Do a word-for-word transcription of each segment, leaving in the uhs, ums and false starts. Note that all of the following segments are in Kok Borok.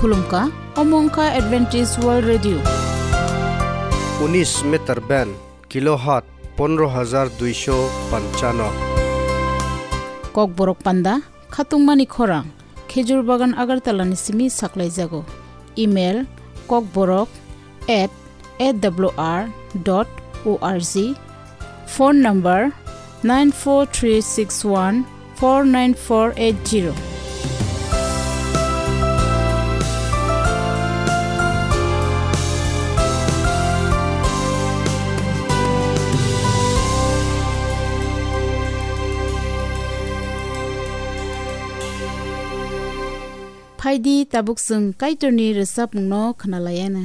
Khulumkha, omo wngkha Adventist World Radio. Unis meter band, kilohertz pondro hajar duisho panchano. Kokborok panda, khatungmani khorang, Khejur Bagan Agartala ni simi saklaijago. Email, kokborok at A W R dot O R G. Phone number nine four three six one four nine four eight zero. Phaidi, tabuk chwng Kaitorni rwchapmungno khwnalaiana.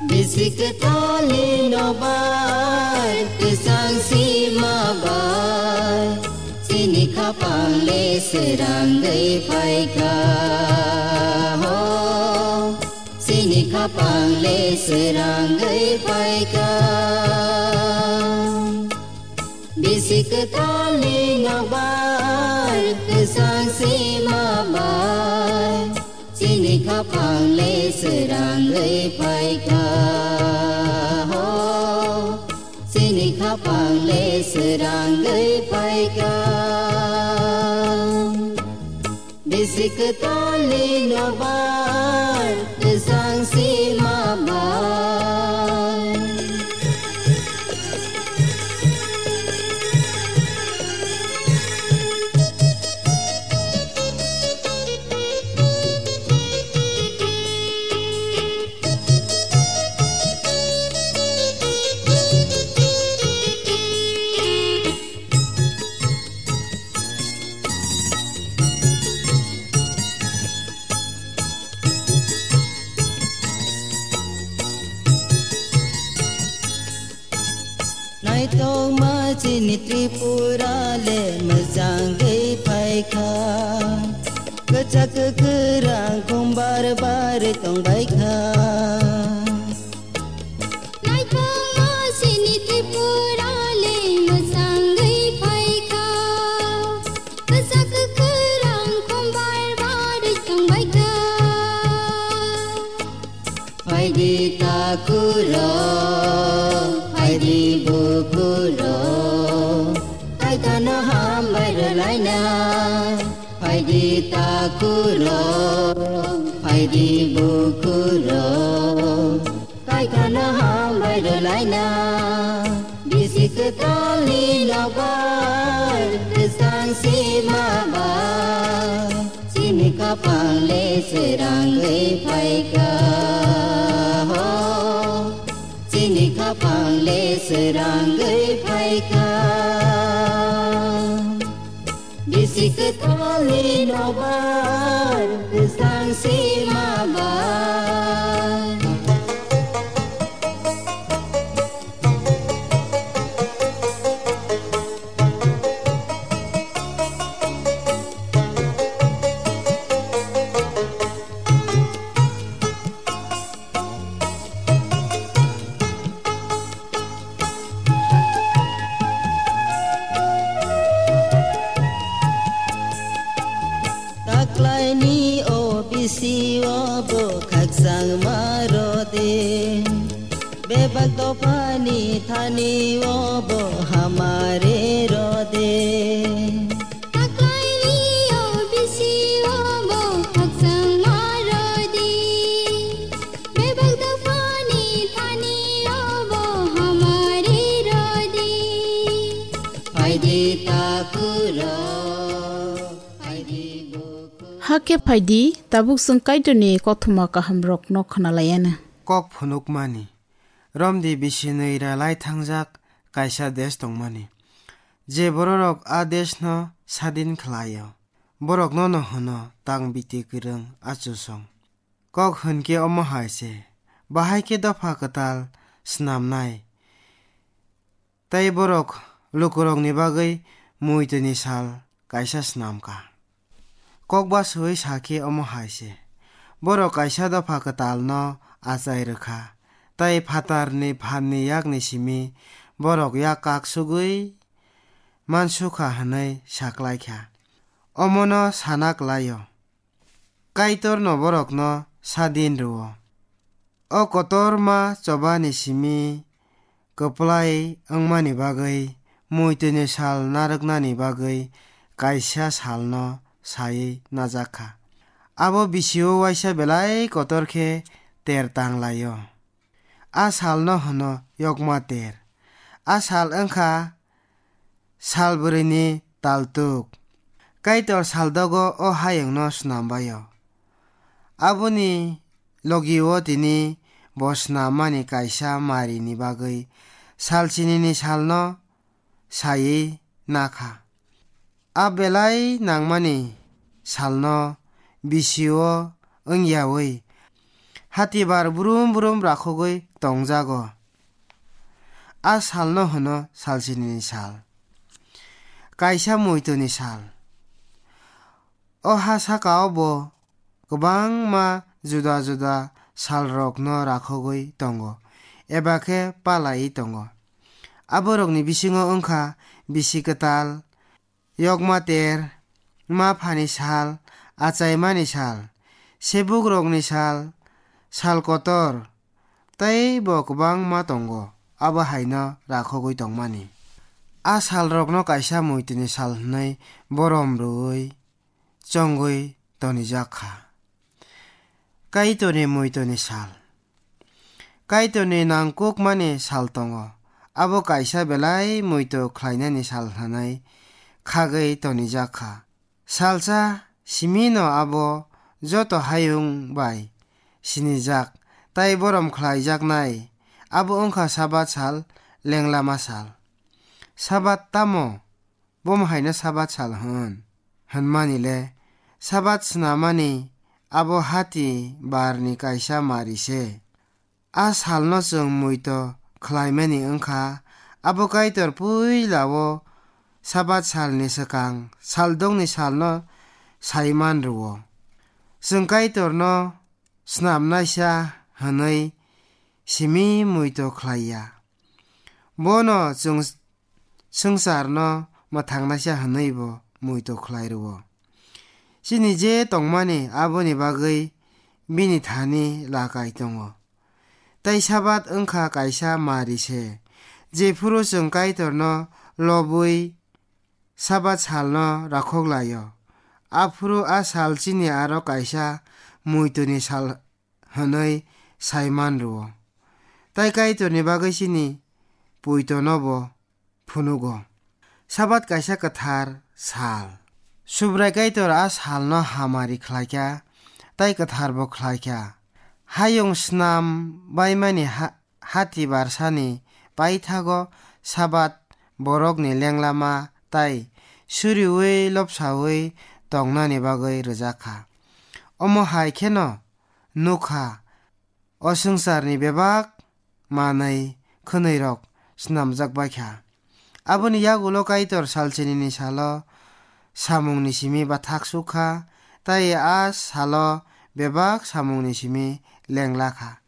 Bisi kwthali no bai, kwchang sima bai, chini khapang le srangwi phaikha ho. Chini khapang le srangwi phaikha. Bisi kwthali no bai, kwchang sima bai, chini khapang le srangwi phaikha ho. Chini khapang le srangwi phaikha. Bisi kwthali no bai, kwchang sima bai. Naitokma chini Tripura le mwchangwi phaikha. Kwchak kwrang khumbar bar tongbaikha. Naitokma chini Tripura le mwchangwi phaikha. Kwchak kwrang khumbar bar tongbaikha. Phaidi takhuk rok, phaidi bukhuk rok, Kaitorno hambai rwlaina. Phaidi takhuk rok, phaidi bukhuk rok, Kaitorno hambai rwlaina. Bisi kwthali no bai, kwchang sima bai, chini khapang le srangwi phaikha ho. Chini khapang le srangwi phaikha. Bisi kwthali no bai, kwchang sima bai. Taklaini o bisi o bo khakchangma rode. Bebak dophani thani o bo hamari rode. Taklaini o bisi o bo khakchangma rodi. Bebak dophani thani o bo hamari rodi. Phaidi takhuk rok, phaidi bukhuk. Hakhe phaidi, tabuk chwng Kaitorni kothoma kahamrokno khwnalaiana. Kok phunukmani. Romdi bisi nwi rwlai thangjak, kaisa desh tongmani, je bororok a deshno sadin khlaio. Borokno no hwno tang biti kwrwng achusong. Kok hwnkhe omo hai se, bahai khe dopha kwtal snamnai, tei borok lukurokni bagwi muitwini sal kaisa snam kha. Kokbaswi sa khe omo hai se, borok kaisa dopha kwtalno achai rw kha, tei phatarni phanni yakni simi borok yak kak sugwi mansukha hwnwi sa klai kha. Omono sana klai-o, Kaitorno borokno sadin rw-o. O kotorma chobani simi kwplai wngmani bagwi muitwini sal narwknani bagwi kaisa salno sai najak kha. Abo bisio waisa belai kotor khe ter tang lai-o. A salno hwno Yokma Ter. A sal wngkha sal bwrwini taltuk. Kaitor saldogo o hayungno snam bai-o. Aboni logi-o tini bo snam mani kaisa marini bagwi salchinini salno saiwi nakha. A belai nangmani salno bisio wngyawi hatibar brum brum rakhogwi tongjago. A salno hwno salchinini sal, kaisa muitwni sal. O ha saka-o bo kwbangma juda juda salrokno rakhogwi tongo, eba khe palaiwi tongo. Aborokni bisingo wngkha bisi kwtal, Yokma Ter, ma phani sal, achaimani sal, sebukrokni sal, sal kotor, tei bo kwbangma tongo, abo haino rakhogwi tongmani. A salrokno kaisa muitwini sal hwnwi borom rwui chongwi tonijak kha. Kaitorni muitwni sal. Kaitorni nangkukmani sal tongo. Abo kaisa belai muito khlainani sal hwnwi khagwi tonijak kha. Salsa simino abo joto hayung bai sinijak tei borom khlaijaknai. Abo wngkha Sabat sal, lenglama sal. Sabat tamo? Bomo haino Sabat sal hwn, hwnmani le Sabat snamani abo hati barni kaisa mari se. A salno chwng muito khlaimani wngkha, abo Kaitor puila-o Sabat salni swkang saldongni salno saiman rw-o. Chwng Kaitorno snamnaisa hwnwi simi muito khlai ya. Bono chwng swngcharno mwthangnaisa hwnwibo muito khlai rw-o. Chini je tongmani aboni bagwi bini thani lakai tongo. Tei Sabat wngkha kaisa mari se, jephuru chwng Kaitorno lobwi Sabat salno rakhok lai-o, aphuru a sal chini aro kaisa muituni sal hwnwi saiman rw-o. Tai Kaitorni bagwi chini puitono bo phunugo. Sabat kaisa kwthar sal. Subrai Kaitor a salno hamari khlaikha, tai kwtharbo khlaikha. Hayung snam baimani ha-, hati barsani paithago Sabat borokni lenglama tai suriui lobsaui tongnani bagwi rwjakha. Omo hai kheno nukha, o swngcharni bebak manwi khwnwirok snamjak bai kha. Aboni yagulo Kaitor salchinini salo samungni simi bathak suk kha, tai a salo bebak samungni simi lengla kha.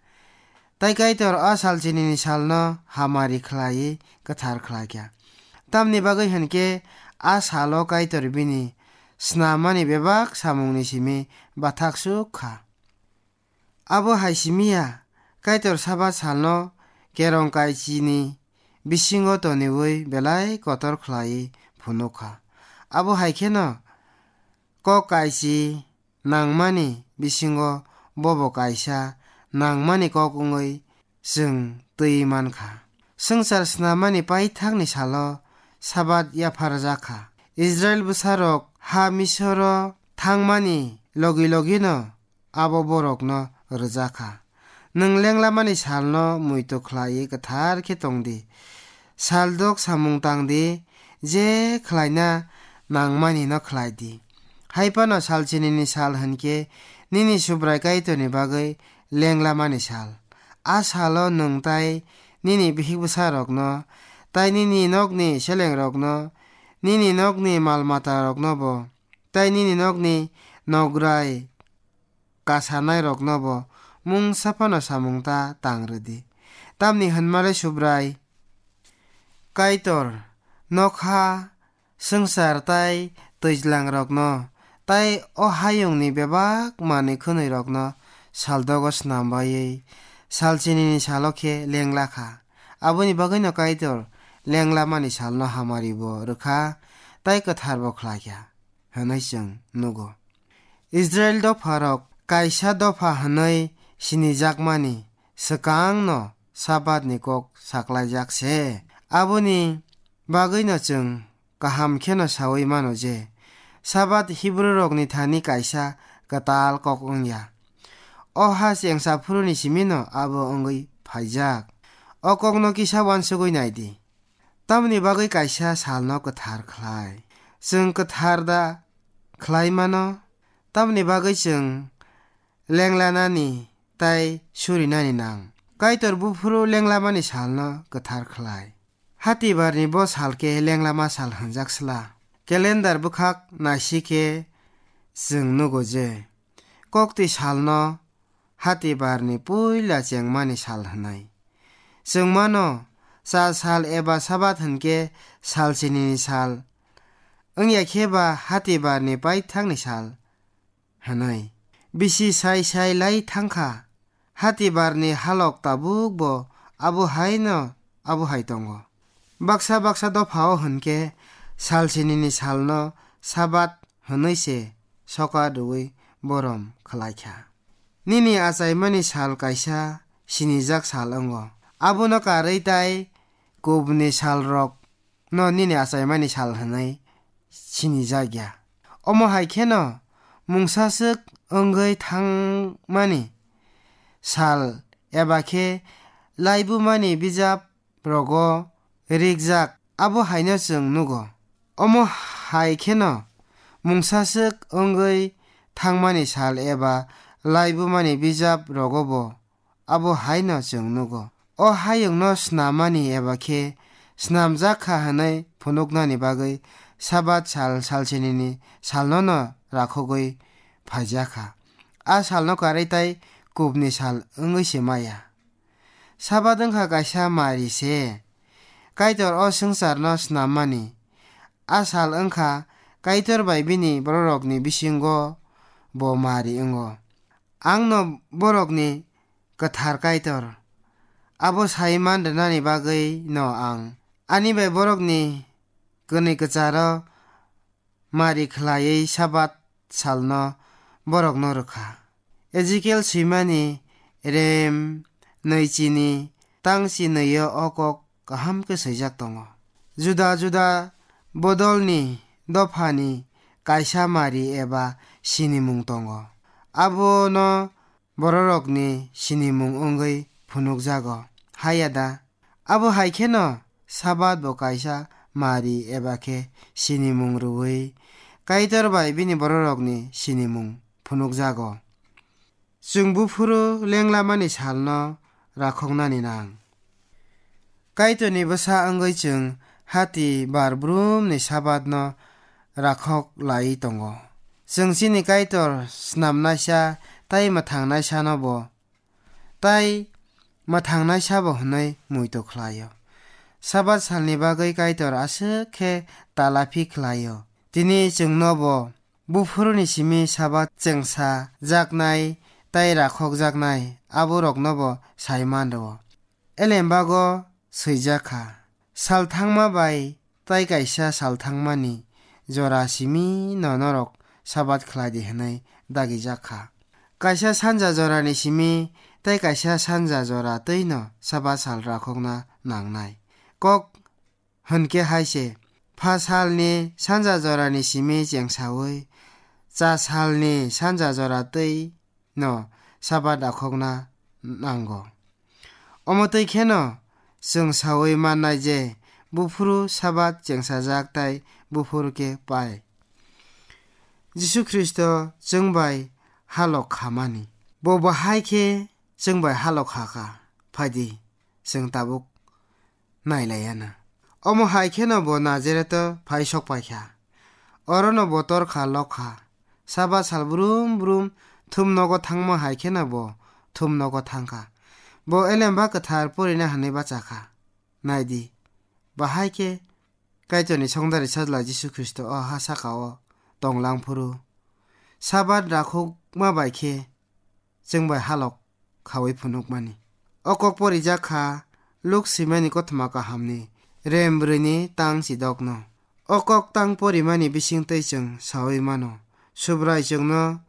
Tai Kaitor a salchinini salno hamari khlaiwi kwthar khlai kha. Tamni bagwi hwn khe a salo Kaitor bini snamani bebak samungni simi bathak suk kha. Abo hai simi ya, Kaitor Sabat salno kerong kaichini bisingo toniui belai kotor khlaiwi phunuk kha. Abo hai kheno kok kaichi nangmani bisingo bobo kaisa nangmani kok wngwi chwng twi man kha. Swngchar snamani paithakni salo Sabat yapharjak kha. Israil bwsarok ha Misoro thangmani logi logino abo borokno rwjak kha. Nwng lenglamani salno muitu khlaiwi kwthar khe tong di. Saldok samung tang di, je khlaina nangmani no khlai di. Hai phano sal chinini sal hwn khe nini Subrai Kaitorni bagwi lenglamani sal. A salo nwng tai nini bihik bwsarokno, tai nini nokni selengrokno, nini nokni mal mataroknobo, tai nini nokni nograi kasanairoknobo mungsa phano samung ta tang rw di. Tamni hwnmale Subrai Kaitor nokha swngchar tai twijlangrokno, tai o hayungni bebak manwi khwnwirokno saldogo snam baiwi sal chinini salo khe lengla kha. Aboni bagwino Kaitor lenglamani salno hamari bo rw kha, tai kwthar bo khlai kha, hwnwi chwng nugo. Israil dopharok kaisa dopha hwnwi sinijakmani swkangno Sabatni kok saklaijak se. Aboni bagwino chwng kaham kheno saui mano je, Sabat Hibrurokni thani kaisa kwtal kok wng ya. O ha chengsa phuruni simino abo wngwi phaijak. O kokno kisa uansugui nai di. Tamoni bagwi kaisa salno kwthar khlai. Chwng kwthar da khlai mano, tamoni bagwi chwng lenglanani tai surinani nang. Kaitor buphuru lenglamani salno kwthar khlai. Hatibarni bo sal khe lenglama sal hwnjak sla. Calendar bwkhak naisi khe chwng nugo je, kokti salno Hatibarni puila chengmani sal hwnwi. Chwng mano, cha sal eba Sabat hwn khe sal chinini sal wng ya khe ba Hatibarni paithakni sal hwnwi. Bisi sai sai lai thang kha, Hatibarni halok tabuk bo abo hai no abo hai tongo. Baksa baksa dopha o hwn khe sal chinini salno Sabat hwnwi se soka rwui borom khlai kha. Nini achaimani sal kaisa sinijak sal wngo. Abono karwi tai kubni salrokno nini achaimani sal hwnwi sinijak ya. Omo hai kheno mungsaswk wngwi thangmani sal eba khe laibumani bijap rogo rikjak, abo haino chwng nugo. Omo hai kheno mungsaswk wngwi thangmani sal eba laibumani bijap rogobo abo haino chwng nugo. O hayungno snamani eba khe snamjak kha hwnwi phunuknani bagwi Sabat sal salsinini salnono rakhogwi phaijak kha. A salno karwi tai kubni sal wngwi se maya. Sabat wngkha kaisa mari se. Kaitor o swngcharno snammani. A sal wngkha Kaitor bai bini bororokni bisingo bo mari wngo. Angno borokni kwthar Kaitor abo sai man rwnani bagwi no ang ani bai borokni kwnwi kwcharo mari khlaiwi Sabat salno borokno rwkha. Ezekiel swimani rem nwichini tangchi nwio o kok kaham khe swijak tongo. Juda juda bodolni dophani kaisa mari eba sinimung tongo. Abono bororokni sinimung wngwi phunukjago. Haya da? Abo hai kheno Sabat bo kaisa mari eba khe sinimung rwui Kaitor bai bini bororokni sinimung phunukjago. Chwng buphuru lenglamani salno rakhoknani nang. Kaitorni bwsa wngwi chwng hati bar brumni Sabatno rakhok laiwi tongo. Chwng chini Kaitor snamnaisa tai mwthangnaisano bo tai mwthangnaisa bo hwnwi muitu khlaio. Sabat salni bagwi Kaitor aswk khe talaphi khlaio. Tini chwngno bo buphuruni simi Sabat chengsa jaknai tai rakhok jaknai aborokno bo sai man rwo. Elembago swijak kha, sal thangma bai tai kaisa sal thangmani jora simi no norok Sabat khlai di hwnwi dagijak kha. Kaisa sanja jorani simi tai kaisa sanja jora twi no Sabat sal rakhokna nangnai. Kok hwn khe hai se, pha salni sanja jorani simi chengsaui cha salni sanja jora twi no Sabat rakhokna nango. Omo twi kheno chwng saui mannai je buphuru Sabat chengsajak tei buphuru khe pai. Jisu Khristo chwng bai halok khamani. Bo bahai khe chwng bai halok kha kha. Phaidi, chwng tabuk nailaiyana. Omo hai kheno bo Nazareto phai sok pai kha. Orono bo tor kha, lok kha. Sabat sal brum brum thum nogo thangma hai kheno bo thum nogo thang kha. Bo Elemba Kwthar porina hwnwi bacha kha. Naidi, bahai khe Kaitorni songdari sajla Jisu Khristo o ha saka-o tong lang phuru, Sabat rakhokma bai khe chwng bai halok khaui phunukmani. O kok porijak kha Luk swimani Kothoma Kahamni rem brwini tang chidokno. O kok tang porimani bisingtwi chwng saui mano, Subrai chwngno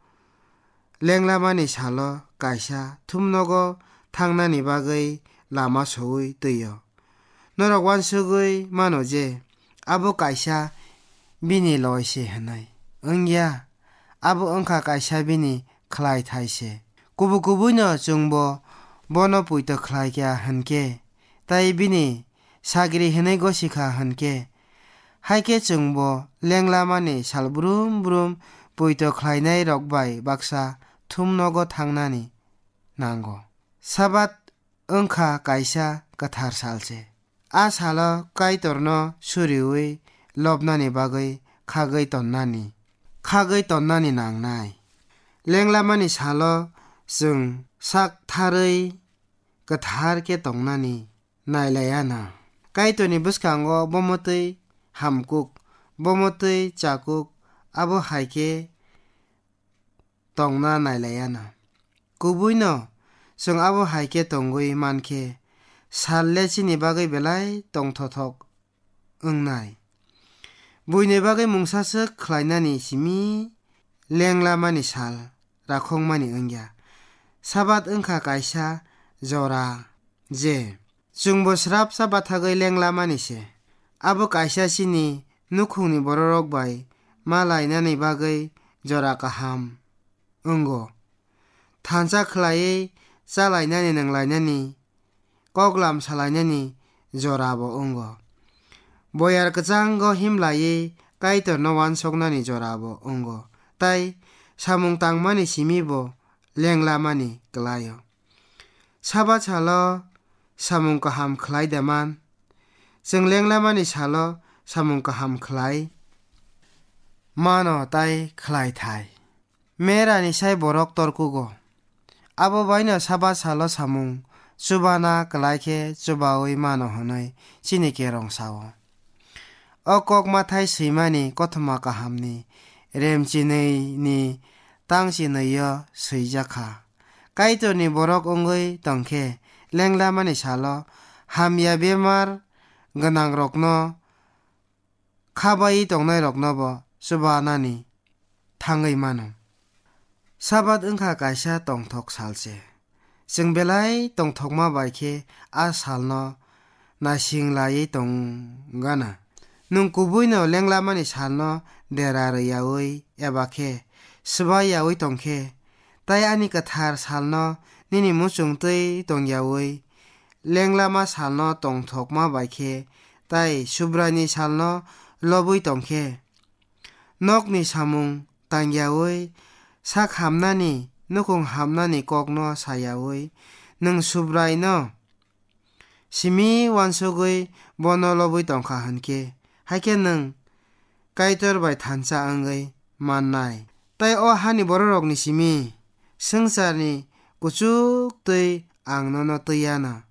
lenglamani salo kaisa thumnogo thangnani bagwi lama soui twi-o. Norok uansugui mano je abo kaisa bini loi se hwnwi. Wngya, abo wngkha kaisa bini khlai thai se. Kubui kubuino chwngbo bono poito khlai kha hwn khe, tei bini sagri hwnwi gosi kha hwn khe, hai khe chwngbo lenglamani sal brum brum poito khlainai rok bai baksa thumnogo thangnani nango. Sabat wngkha kaisa kwthar sal se. A salo Kaitorno suriui lobnani bagwi khagwi tonnani, khagwi tonnani nangnai. Lenglamani salo chwng sak tharwi kwthar khe tongnani nailaiyana. Kaitorni bwskango bomotwi hamkuk, bomotwi chakuk, abo hai khe tongna nailaiyana. Kubuino chwng abo hai khe tongwi man khe, sal le chini bagwi belai tongthothok wngnai. Buini bagwi mungsaswk khlainani simi lenglamani sal rakhokmani wngya. Sabat wngkha kaisa jora je chwngbo srapsa bathagwi lenglamani se. Abo kaisa chini nukhungni bororok bai ma lainani bagwi jora kaham wngo. Thansa khlaiwi chalainani, nwnglainani, koklam salainani jorabo wngo. Boyar kwchango himlaiwi Kaitorno uansuknani jorabo wngo. Tai samung tangmani simi bo lenglamani kwlaio. Sabat salo samung kaham khlai da man? Chwng lenglamani salo samung kaham khlai mano tai khlai thai. Merani sai borok torkugo. Abo baino Sabat salo samung chubana kwlai khe chubaui mano hwnwi chini kerong sao. O kok mathai swimani Kothoma Kahamni remchinwi ni tang chinwi-o swijak kha. Kaitorni borok wngwi tongkhe, lenglamani salo hamya bemar gwnangrokno khabaiwi tongnairoknobo chubanani thangwi mano. Sabat wngkha kaisa tongthok sal se. Chwng belai tongthokma bai khe a salno naising laiwi tong gana. Nwng kubuino lenglamani salno dera rwyaui eba khe swbai yaui tong khe, tai ani kwthar salno nini muchung twi tong yaui, lenglama salno tongthokma bai khe, tai Subraini salno lobwi tong khe, nokni samung tang yaui, sak hamnani, nukhung hamnani kokno sa yaui, nwng Subraino simi uansugwi bono lobwi tong kha hwn khe, hai khe nwng Kaitor bai thansa wngwi mannai. Tai o hani bororokni simi swngcharni kuchuk twi ang nono twi anw.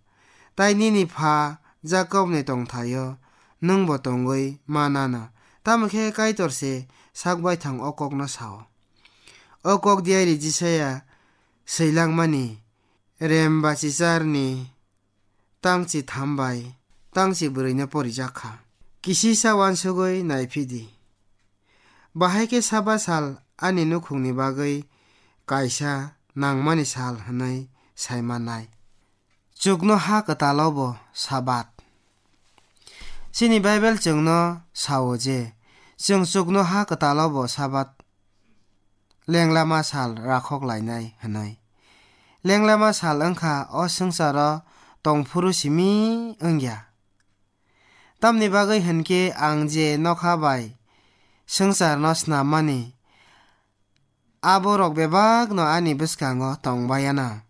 Tai nini pha Jakobni tongthaio nwngbo tongwi man anw. Tamo khe Kaitor se sak baithang o kokno sao. O kok diari Jisaya swilangmani rem bachicharni tangchi tham bai tangchi bwrwino porijak kha. Kisisa uansugwi naiphidi. Bahai khe Sabat sal ani nukhungni bagwi kaisa nangmani sal hwnwi sai mannai. Chuknoha kwtalobo Sabat. Chini Bible chwngno sao je, chwng chuknoha kwtalobo Sabat lenglama sal rakhok lainai hwnwi. Lenglama sal wngkha o swngcharo tongphuru simi wngya. Tamni bagwi hwn khe ang je nokha bai swngcharno snammani, aborok bebakno ani bwskango tong bai ya na.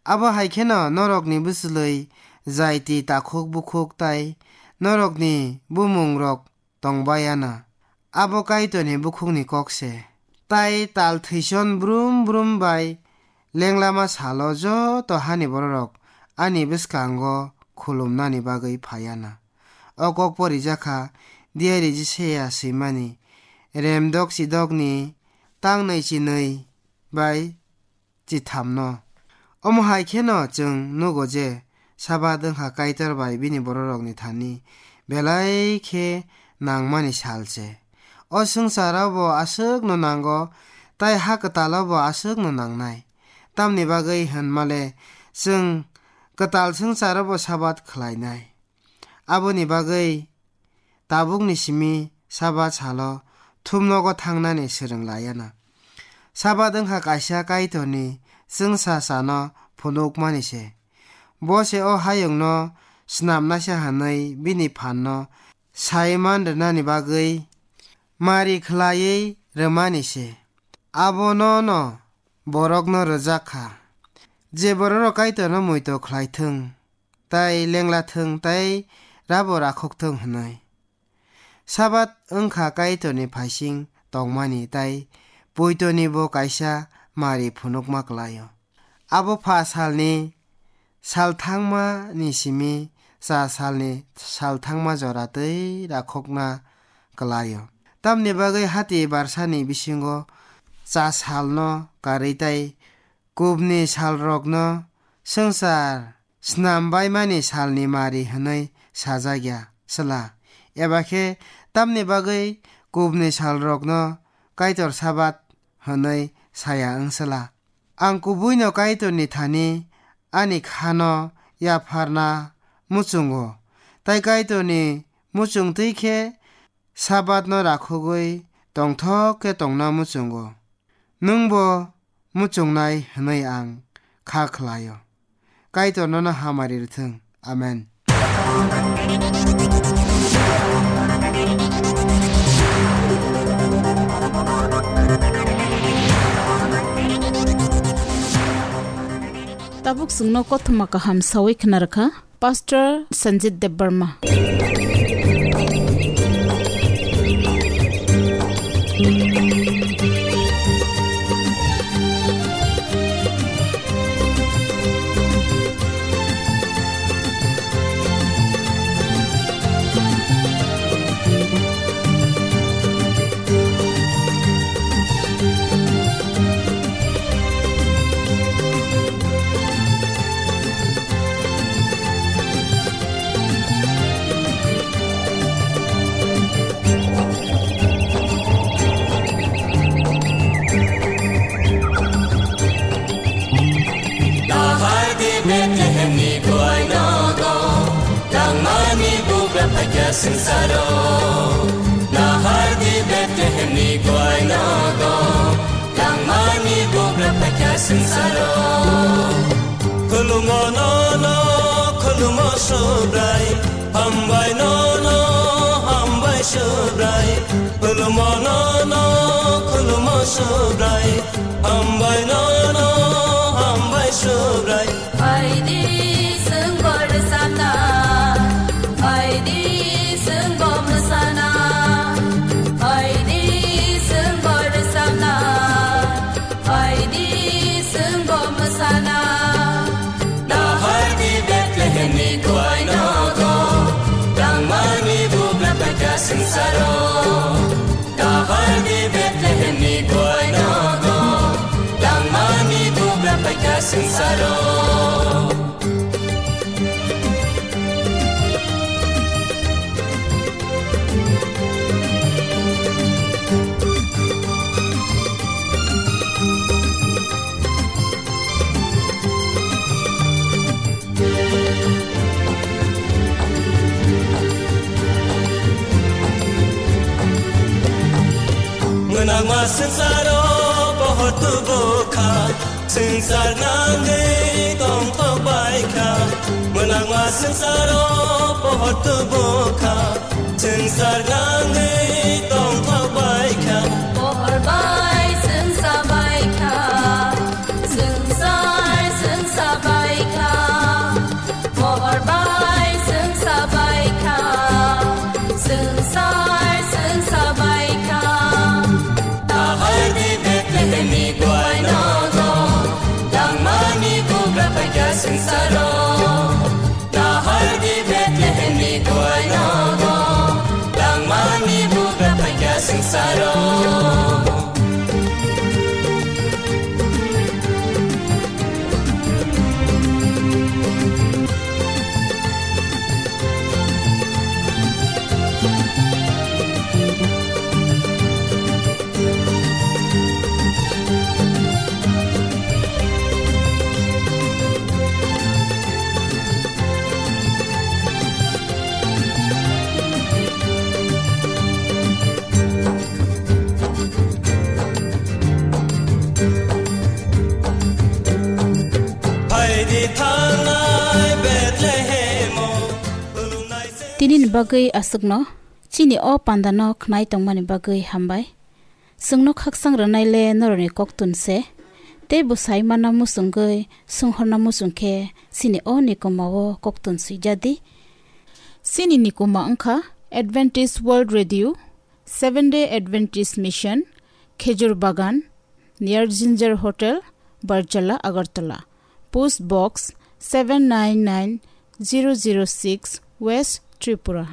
Abo hai kheno norokni bwchlwi jaiti takhuk bukhuk tai norokni bumungrok tong bai ya na. Abo Kaitorni bukhukni kok se. Tai tal thwison brum brum bai lenglama salo joto hani bororok ani bwskango khulumnani bagwi phai ya na. O kok porijak kha, diyari Jisaya swimani, remdok chidokni tangnwi chinwi bai chithamno. Omo hai kheno chwng nugo je Sabat wngkha Kaitor bai bini bororokni thani belai khe nangmani sal se. O swngcharo bo aswkno nango, tai ha kwtalo bo aswkno nangnai. Tamni bagwi hwn male chwng kwtal swngcharo bo Sabat khlainai. Aboni bagwi tabukni simi Sabat salo thumnogo thangnani swrwng laiya na. Sabat wngkha kaisa Kaitorni chwngsa sano phunukmani se. Bo se o hayungno snamnaisa hwnwi bini phanno sai man rwnani bagwi mari khlaiwi rwmani se. Abono'-no borokno rwjak kha, je bororok Kaitorno muitu khlai thung, tai lengla thung, tai rabo rakhok thung hwnwi. Sabat wngkha Kaitorni phaising tongmani tai poitoni bo kaisa mari phunukma kwlaio. Abo pha salni salthangmani simi cha salni salthangma jora twi rakhokna kwlaio. Tamni bagwi hati barsani bisingo cha salno karwi tai kubni salrokno swngchar snambaimani salni mari hwnwi sajak ya sla? Eba khe tamni bagwi kubni salrokno Kaitor Sabat hwnwi saya wng sla? Ang kubuino Kaitorni thani ani khano yapharna muchungo, tai Kaitorni muchungtwi khe Sabatno rakhogwi tongthok khe tongna muchungo. Nwngbo muchungnai hwnwi ang kha khlaio. Kaitor nono hamari rwthwng. Amen. Tabuk chwngno kothoma kaham sawi khna rwkha. Pastor Sanjit Debbarma. Nahar di Bethlehem ni duai nogo, tangmani bugra phaikha swngcharo. Nahar di Bethlehem ni duai nogo, tangmani bugra phaikha swngcharo. Khulumo nono, khulumo Subrai, hambai nono, hambai Subrai. Khulumo nono, khulumo Subrai, hambai nono, hambai Subrai. Phaidi swngbo rwchapna, phaidi swngbo mwsana, phaidi swngbo rwchapna, phaidi swngbo mwsana. Nahardi Bethlehemni duai nogo, tangmani bugra phaikha swngcharo. Nahardi Bethlehemni duai nogo, tangmani bugra phaikha swngcharo. Mwnangma swngcharo pohor tubu kha, swngchar nangwi tongthok bai kha. Mwnangma swngcharo pohor tubu kha, Sargangwi tongthok bai kha. Pohor bai chwng sa bai kha. Swngchar chwng sa bai kha. Pohor bai chwng sa bai kha. Swngchar chwng sa bai kha. Nahar di Bethlehem ni gwai nogo. Langmani bugra paikha swngcharo. Nahar di Bethlehem ni gwai nogo, langmani bugra paikha swngcharo. Phaidi thangnai Bethlehemo, khulumnai se- Tinini bagwi aswkno, chini o pandano khnai tongmani bagwi hambai. Chwngno khakchang rwnai le norokni koktun se, tei bwsai manna muchungwi swnghorna muchung khe chini o nikuma o koktun swijadi. Chini nikuma wngkha Adventist World Radio, Seventh Day Adventist Mission, Khejur Bagan, near Ginger Hotel, Barjala, Agartala. Post Box seven nine nine zero zero six, West Tripura.